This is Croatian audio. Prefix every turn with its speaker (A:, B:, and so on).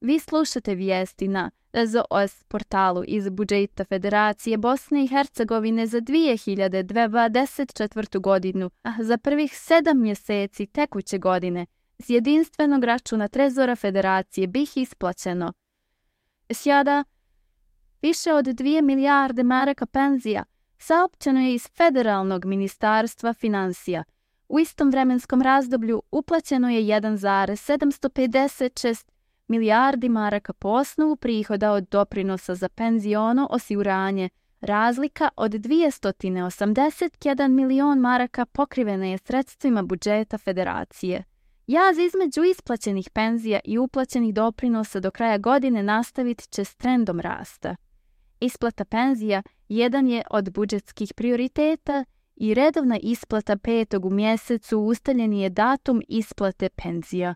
A: Vi slušate vijesti na ZOS portalu iz budžeta Federacije Bosne i Hercegovine za 2024. godinu, a za prvih 7 mjeseci tekuće godine s jedinstvenog računa Trezora Federacije bih isplaćeno sada više od 2 milijarde maraka penzija, saopćeno je iz Federalnog ministarstva financija. U istom vremenskom razdoblju uplaćeno je 1,756 milijardi maraka po osnovu prihoda od doprinosa za penziono osiguranje. Razlika od 281 milion maraka pokrivena je sredstvima budžeta Federacije. Jaz između isplaćenih penzija i uplaćenih doprinosa do kraja godine nastavit će s trendom rasta. Isplata penzija jedan je od budžetskih prioriteta i redovna isplata 5. u mjesecu ustaljen je datum isplate penzija.